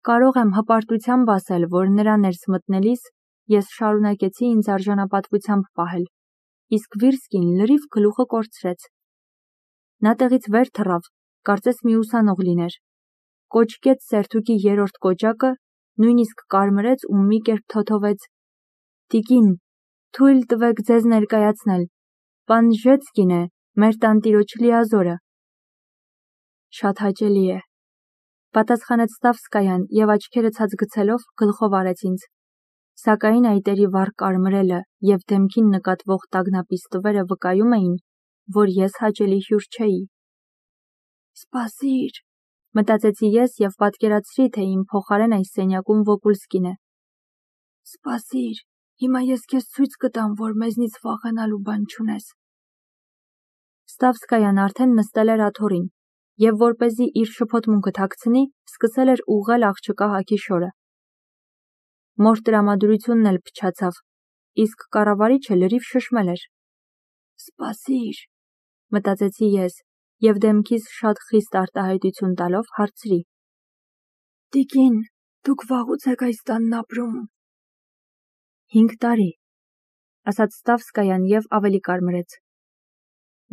Կարող եմ հպարտությամբ ասել, որ նրա ներս մտնելիս ես շարունակեցի ինձ արժանապատվությամբ պահել, իսկ Վիրսկին լրիվ գլուխը կորցրեց։ Նա տեղից վեր թռավ, կարծես մի ուսանող լիներ։ Կոճկեց սերթուկի երրորդ կոճակը, նույնիսկ կարմրեց ու մի կերպ թոթովեց. «Տիկին, թույլ տվեք ձեզ ներկայացնել, պան Ժեցկին է, մեր տանտիրոջ լիազորը»։ Շատ հաճելի է, պատասխանեց Ստավսկայան և աչքերը ցած գցելով գլխով արեց ինձ, սակայն այտերի վառ կարմրելը և դեմքին նկատվող տագնապի ստվերը վկայում էին, որ ես հաճելի հյուր չէի։ «Սպասիր», մտածեցի ես և պատկերացրի, թե իմ փոխարեն այս սենյակում Վոկուլսկին է։ «Սպասիր, հիմա ես քեզ ցույց կտամ, որ մեզնից վախենալու բան չունես»։ Ստավսկայան արդեն նստել էր աթոռին և որպեսզի իր շփոթմունքը թաքցնի, սկսել էր ուղղել աղջկա հագի շորը։ Մոր տրամադրությունն էլ փչացավ, իսկ կառավարիչը լրիվ շշմել էր։ «Սպասիր», մտածեցի ես և դեմքիս շատ խիստ արտահայտություն տալով հարցրի. «Տիկին, դուք վաղուց եք այս տանն ապրում»։ 5 տարի, ասաց Ստավսկայան և ավելի կարմրեց։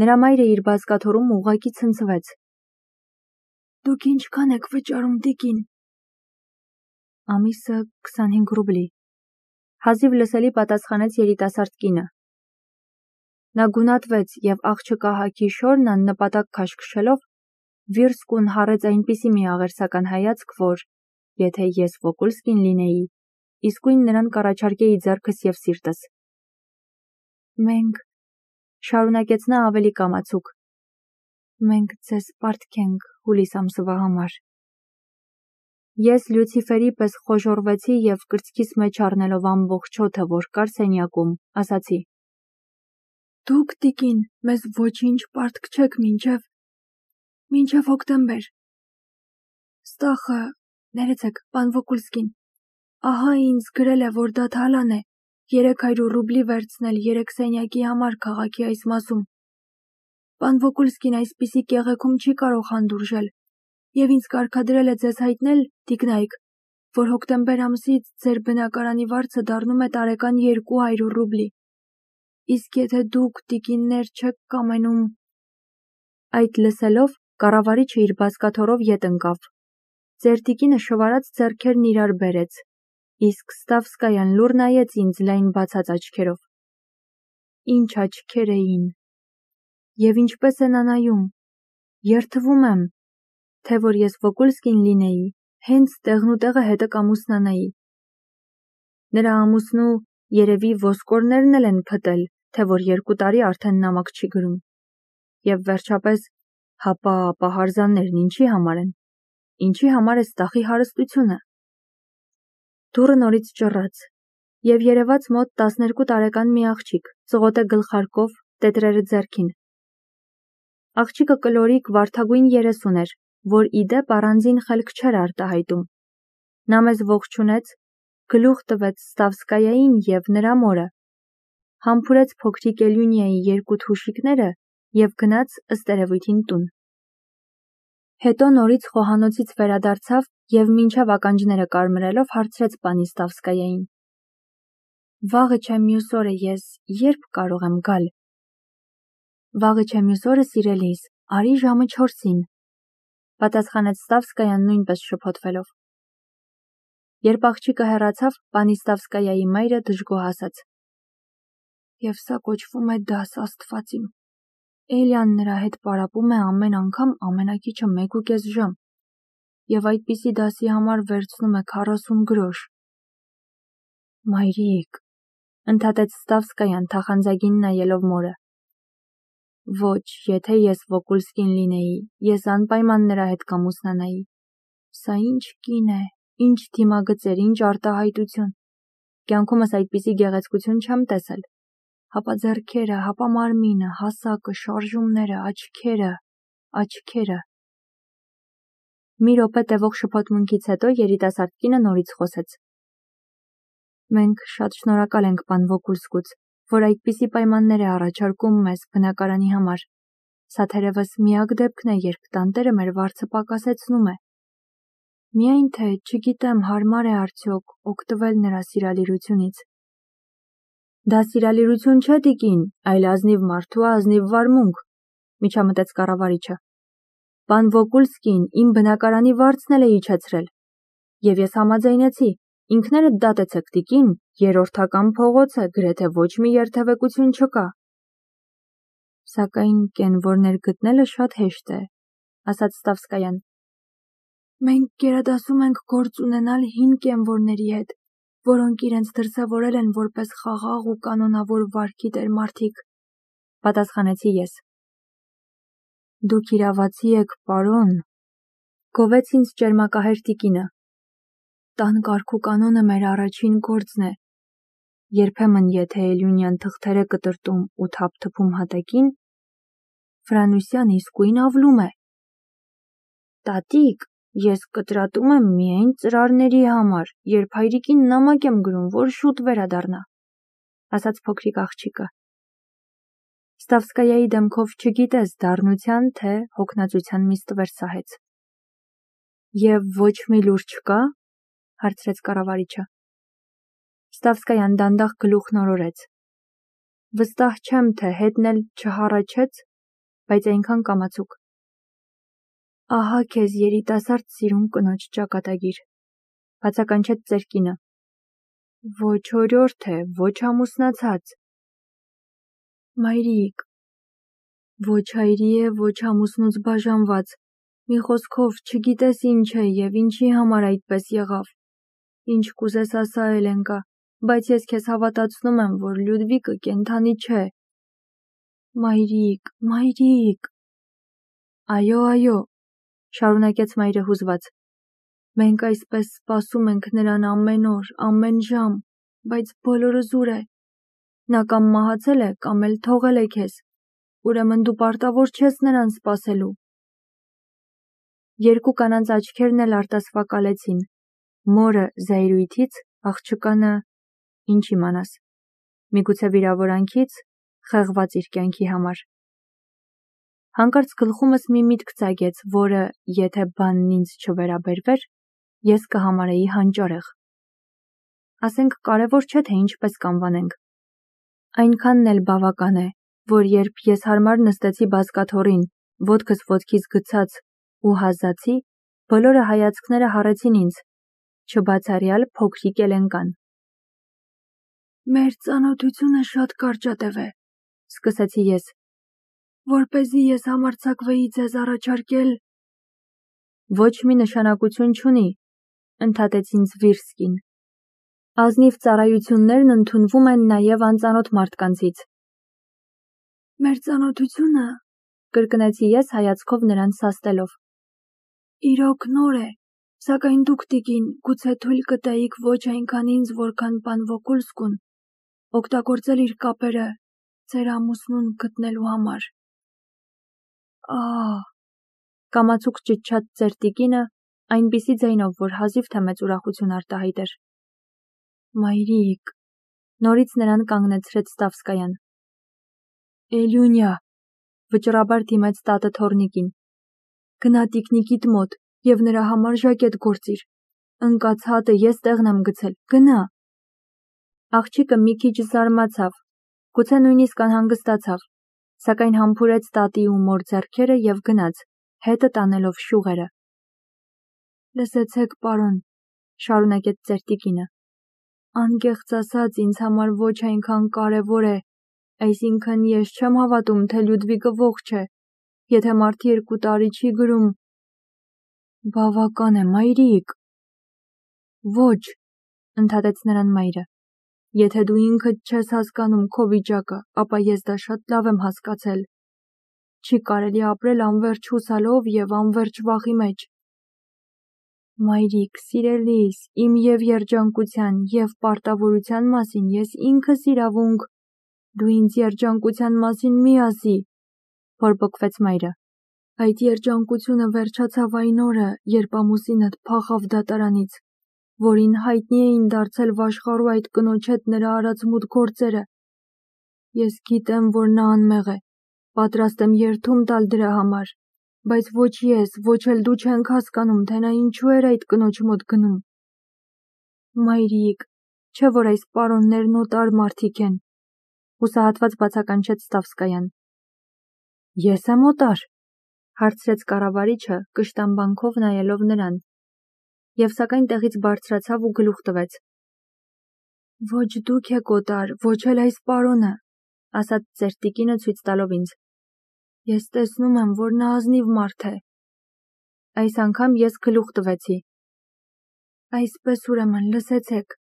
Նրա մայրը իր բազկաթոռում ուղղակի ցնցվեց։ «Դուք ինչքան եք վճարում, տիկին»։ Ամիսը 25 ռուբլի, հազիվ լսելի պատասխանեց երիտասարդ կինը։ Նա գունատվեց և աղջկա հագի շորն աննպատակ քաշքշելով, Վիրսկուն հառեց այնպիսի մի աղերսական հայացք, որ, եթե ես Վոկուլսկին լինեի, իսկույն նրան կառաջարկեի ձեռքս և սիրտս։ «Մենք», շարունակեց նա ավելի կամացուկ, «մենք ձեզ պարտքենք հուլիս ամսվա համար»։ Ես Լյուցիֆերի պես խոժոռվեցի և կրծքիս մեջ առնելով ամբողջ օդը, որ կար սենյակում, ասացի. «Դուք, տիկին, մեզ ոչինչ պարտք չեք մինչև հոկտեմբեր։ Ստախը, ներեցեք, պան Վոկուլսկին, ահա ինձ գրել է, որ դա թալան է, 300 ռուբլի վերցնել 3 սենյակի համար քաղաքի այս մասում։ Պան Վոկուլսկին այսպիսի կեղեքում չի կարող հանդուրժել և ինձ կարգադրել է ձեզ հայտնել, տիկնայք, որ հոկտեմբեր ամսից ձեր բնակարանի վարձը դառնում է տարեկան 200 ռուբլի։ Իսկ եթե դուք, տիկիններ, չեք կամենում»։ Այդ լսելով կառավարիչը իր բազկաթոռով ետ ընկավ։ Ձեր տիկինը շվարած ձեռքերն իրար բերեց, իսկ Ստավսկայան լուռ նայեց ինձ լայն բացած աչքերով։ Ինչ աչքեր էին։ Եվ ինչպես է նա նայում։ Երդվում եմ, թե որ ես Վոկուլսկին լինեի, հենց տեղնուտեղը հետը կամուսնանայի։ Նրա ամուսնու երևի ոսկորներն էլ են փտել, թե որ 2 տարի արդեն նամակ չի գրում։ Եվ վերջապես, հապա պահարզաններն ինչի համար են։ Ինչի համար է Ստախի հարստությունը։ Դուռը նորից ճռռաց, և երևաց մոտ 12 տարեկան մի աղջիկ, ծղոտե գլխարկով, տետրերը ձեռքին։ Աղջիկը կլորիկ վարդագույն 30 էր, որ ի դեպ առանձին խելք չէր արտահայտում։ Նա մեզ ողջունեց, գլուխ տվեց Ստավսկայային և նրա մորը, համբուրեց փոքրիկ Էլյունիայի 2 թուշիկները և գնաց ըստ երևույթին տուն։ Հետո նորից խոհանոցից վերադարձավ և մինչև ականջները կարմրելով հարցրեց պանի Ստավսկայային. «Վաղը չէ մյուս օրը ես երբ կարող եմ գալ»։ «Վաղը չէ մյուս օրը, սիրելիս, արի ժամը 4-ին», պատասխանեց Ստավսկայան նույնպես շփոթվելով։ Երբ աղջիկը հեռացավ, պանի Ստավսկայայի մայրը դժգոհ ասաց. «Եվ սա կոչվում է դաս, Աստված իմ։ Էլյան նրա հետ պարապում է ամեն անգամ ամենակիչը 1.5 ժամ, և այդպիսի դասի համար վերցնում է 40 գրոշ»։ Մայրիկ, ընդհատեց Ստավսկայան թախանձագին նայելով մորը։ Ոչ, եթե ես Վոկուլսկին լինեի, ես անպայման նրա հետ կամուսնանայի։ Սա ինչ կին է, ինչ դիմագծեր, ինչ արտահայտություն։ Կյանքումս այդպիսի գեղեցկություն չեմ տեսել։ Հապա ձեռքերը, հապա մարմինը, հասակը, շարժումները, աչքերը։ Մի րոպե տևող շփոթմունքից հետո երիտասարդ կինը նորից խոսեց. «Մենք շատ շնորհակալ ենք պան Վոկուլսկուց, որ այդպիսի պայմաններ է առաջարկում մեզ բնակարանի համար։ Սա թերևս միակ դեպքն է, երբ տանտերը մեր վարձը պակասեցնում է»։ Միայն թե չգիտեմ հարմար է արդյոք օգտվել նրա սիրալիրությունից։ Դա սիրալիրություն չէ, տիկին, այլ ազնիվ մարդու ազնիվ վարմունք, միջամտեց կառավարիչը։ Պան Վոկուլսկին իմ բնակարանի վարձն էլ է իջեցրել։ Եվ ես համաձայնեցի, ինքներդ դատեցեք, տիկին, երրորդական փողոց է, գրեթե ոչ մի երթևեկություն չկա։ Սակայն կենվորներ գտնելը շատ հեշտ է, ասաց Ստավսկայան։ Մենք գերադասում ենք գործ ունենալ հին կենվորների հետ, որոնք իրենց դրսևորել են որպես խաղաղ ու կանոնավոր վարքի տեր մարդիկ, պատասխանեցի ես։ Դուք իրավացի եք, պարոն, գովեց ինձ ճերմակահեր տիկինը։ Տան կարգ ու կանոնը մեր առաջին գործն է։ Երբեմն եթե Էլյունյան թղթեր է կտրտում ու թափթփում հատակին, Ֆրանուսյան իսկույն ավլում է։ Տատիկ, ես կտրատում եմ միայն ծրարների համար, երբ հայրիկին նամակ եմ գրում, որ շուտ վերադառնա, ասաց փոքրիկ աղջիկը։ Ստավսկայայի դեմքով չգիտես դառնության, թե հոգնածության մի ստվեր սահեց։ Եվ ոչ մի լուր չկա, հարցրեց կառավարիչը։ Ստավսկայան դանդաղ գլուխ նորորեց։ Վստահ չեմ, թե հետն էլ չհառաչեց, բայց այնքան կամացուկ։ Ահա քեզ երիտասարդ սիրուն կնոջ ճակատագիր, բացականչեց ծեր կինը։ Ոչ օրիորդ է, ոչ ամուսնացած։ Մայրիկ, ոչ հայրի է, ոչ ամուսնուց բաժանված, մի խոսքով չգիտես ինչ է և ինչի համար այդպես եղավ։ Ինչ կուզես ասա, Էլենկա, բայց ես քեզ հավատացնում եմ, որ Լյուդվիկը կենդանի չէ։ Մայրիկ, մայրիկ։ Այո, շարունակեց մայրը հուզված։ Մենք այսպես սպասում ենք նրան ամեն օր, ամեն ժամ, բայց բոլորը զուր է։ Նա կամ մահացել է, կամ էլ թողել է քեզ, ուրեմն դու պարտավոր չես նրան սպասելու։ Երկու կանանց աչքերն էլ արտասվակալեցին, մորը զայրույթից, աղջկանը, ինչ իմանաս, միգուցե վիրավորանքից, խեղված իր կյանքի համար։ Հանկարծ գլխումս մի միտք ծագեց, որը, եթե բանն ինձ չվերաբերվեր, ես կհամարեի հանճարեղ։ Ասենք կարևոր չէ, թե ինչպես կանվանենք։ Այնքանն էլ բավական է, որ երբ ես հարմար նստեցի բազկաթոռին, ոտքս ոտքից գցած ու հազացի, բոլորը հայացքները հառեցին ինձ, չբացառյալ փոքրիկ Էլենկան։ Մեր ծանոթությունը շատ կարճատև է, սկսեցի ես, որպեսզի ես համարձակվեի ձեզ առաջարկել։ Ոչ մի նշանակություն չունի, ընդհատեց ինձ Վիրսկին։ Ազնիվ ծառայություններն ընդունվում են նաև անծանոթ մարդկանցից։ Մեր ծանոթությունը, կրկնեցի ես հայացքով նրան սաստելով։ Իրոք նոր է, սակայն դուք, տիկին, գուցե թույլ կտայիք ոչ այնքան ինձ, որքան պան Վոկուլսկուն, օգտագործել իր կապերը ձեր ամուսնուն գտնելու համար։ Կամացուկ ճչաց ծեր տիկինը, այնպիսի ձայնով, որ հազիվ թե մեծ ուրախություն արտահայտեր։ Մայրիկ, նորից նրան կանգնեցրեց Ստավսկայան։ Էլյունյա, վճռաբար դիմեց տատը թոռնիկին։ Գնա տիկնիկիդ մոտ և նրա համար ժակետ գործիր։ Ընկած հատը ես տեղն եմ գցել, գնա։ Աղջիկը մի քիչ զարմացավ, գուցե նույնիսկ անհանգստացավ, սակայն համբուրեց տատի ու մոր ձեռքերը և գնաց, հետը տանելով շուղերը։ Լսեցեք, պարոն, շարունակեց ծեր տիկինը։ Անկեղծ ասած, ինձ համար ոչ այնքան կարևոր է, այսինքն ես չեմ հավատում, թե Լյուդվիկը ողջ է, եթե մարդի 2 տարի չի գրում։ Բավական է, մայրիկ։ Ոչ, ընդհատեց նրան մայրը։ Եթե դու ինքդ չես հասկանում քո վիճակը, ապա ես դա շատ լավ եմ հասկացել։ Չի կարելի ապրել անվերջ հուսալով և անվերջ վախի մեջ։ Մայրիկ, սիրելիս, իմ և երջանկության, և պարտավորության մասին ես ինքս իրավունք։ Դու ինձ երջանկության մասին մի ասի, բորբոքվեց մայրը։ Այդ երջանկությունը վերջացավ այն օրը, երբ ամուսինդ փախավ դատարանից, որին հայտնի էին դարձել վաշխառու այդ կնոջ հետ նրա արած մութ գործերը։ Ես գիտեմ, որ նա անմեղ է, պատրաստ եմ երդում տալ դրա համար, Բայց ոչ ես, ոչ էլ դու չենք հասկանում, թե նա ինչու էր այդ կնոջ մոտ գնում։ Մայրիկ, չէ որ այս պարոններն օտար մարդիկ են, հուսահատված բացականչեց Ստավսկայան։ Ես եմ օտար, հարցրեց կառավարիչը, կշտամբանքով նայելով նրան, եւ սակայն տեղից բարձրացավ ու գլուխ տվեց։ Ոչ դուք եք օտար, ոչ էլ այս պարոնը, ասաց ծերտիկինը ցույց տալով ինձ։ Ես տեսնում եմ, որ նա ազնիվ մարդ է։ Այս անգամ ես գլուխ տվեցի։ Այսպես ուրեմն լսեցեք,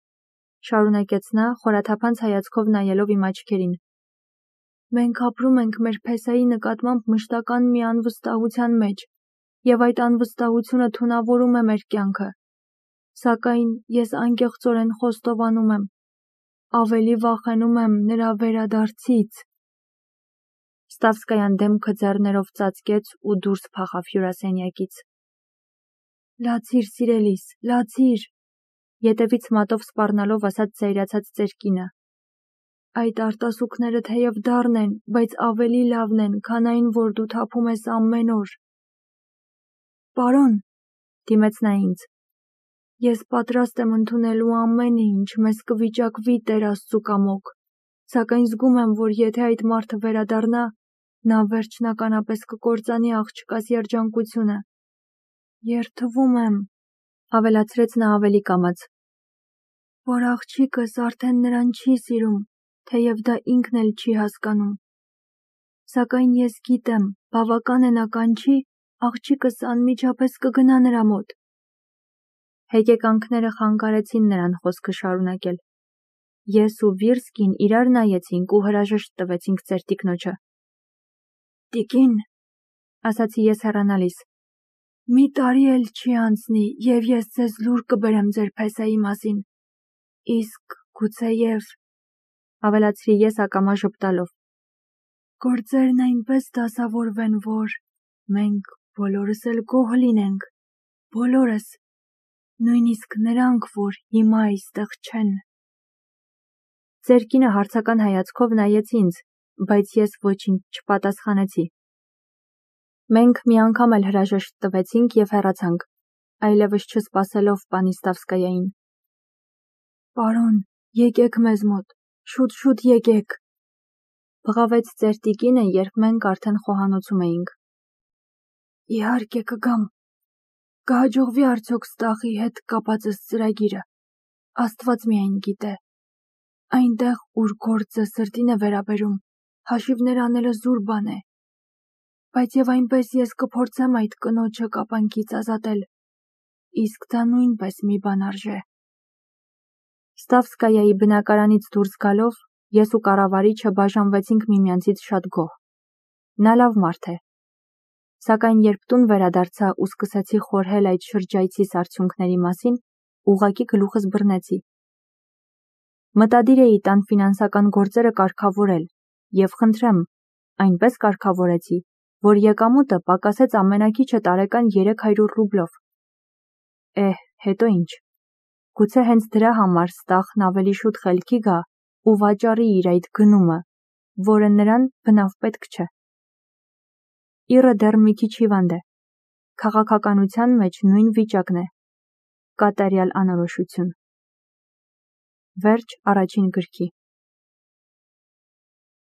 շարունակեց նա, խորաթափանց հայացքով նայելով իմ աչքերին։ Մենք ապրում ենք մեր փեսայի նկատմամբ մշտական մի անվստահության մեջ, եւ այդ անվստահությունը թունավորում է մեր կյանքը։ Սակայն ես անկեղծորեն խոստովանում եմ, ավելի վախենում եմ նրա վերադարձից։ Ստավսկայան դեմքը ձեռներով ծածկեց ու դուրս փախավ հյուրասենյակից։ Լացիր, սիրելիս, լացիր, ետևից մատով սպառնալով ասաց զայրացած ծերկինը։ Այդ արտասուքները թեև դառն են, բայց ավելի լավն են, քան այն, որ դու թափում ես ամեն օր։ Պարոն, դիմեց նա ինձ, ես պատրաստ եմ ընդունելու ամենը, ինչ մեզ կվիճակվի Տեր Աստծու կամոք, սակայն զգում եմ, որ եթե այդ մարդը վերադառնա, նա վերջնականապես կկործանի աղջկաս երջանկությունը։ Երդվում եմ, ավելացրեց նա ավելի կամաց, որ աղջիկս արդեն նրան չի սիրում, թեև դա ինքն էլ չի հասկանում։ Սակայն ես գիտեմ, բավական է նա կանչի, աղջիկս անմիջապես կգնա նրա մոտ։ Հեկեկանքները խանգարեցին նրան խոսքը շարունակել։ Ես ու Վիրսկին իրար նայեցինք ու հրաժեշտ տվեցինք ծերտիկնոջը։ Տիկին, ասացի ես հեռանալիս, մի տարի էլ չի անցնի, եւ ես ձեզ լուր կբերեմ ձեր փեսայի մասին։ Իսկ գուցեև, ավելացրի ես ակամա ժպտալով, գործերն այնպես դասավորվեն, որ մենք բոլորս էլ գոհ լինենք, բոլորս, նույնիսկ նրանք, որ հիմա այստեղ չեն։ Ծերկինը հարցական հայացքով նայեց ինձ, բայց ես ոչինչ չպատասխանեցի։ Մենք մի անգամ էլ հրաժեշտ տվեցինք եւ հեռացանք, այլևս չսպասելով պանի Ստավսկայային։ Պարոն, եկեք մեզ մոտ, շուտ եկեք, բղավեց ծերտիկինը, երբ մենք արդեն խոհանոցում էինք։ Իհարկե կգամ։ Կհաջողվի արդյոք Ստախի հետ կապածս ծրագիրը։ Աստված միայն գիտե։ Այնտեղ, ուր գործը սրտին է վերաբերում, հաշիվներ անելը զուր բան է։ Բայց եւ այնպես ես կփորձեմ այդ կնոջը կապանքից ազատել։ Իսկ դա նույնպես մի բան արժե։ Ստավսկայայի բնակարանից դուրս գալով, ես ու կառավարիչը բաժանվեցինք միմյանցից շատ գոհ։ Նա լավ մարդ է։ Սակայն երբ տուն վերադարձա ու սկսեցի խորհել այդ շրջայցիս արդյունքների մասին, ուղղակի գլուխս բռնեցի։ Մտադիր էի տան ֆինանսական գործերը կարգավորել, եւ խնդրեմ, այնպես կարգավորեցի, որ եկամուտը պակասեց ամենակիչը տարեկան 300 ռուբլով։ Հետո ինչ։ Գուցե հենց դրա համար Ստախն ավելի շուտ խելքի գա ու վաճառի իր այդ գնումը, որը նրան բնավ պետք չէ։ Իռը դեռ մի քիչ հիվանդ է։ Քաղաքականության մեջ նույն վիճակն է։ Կատարյալ անորոշություն։ Վերջ առաջին գրքի։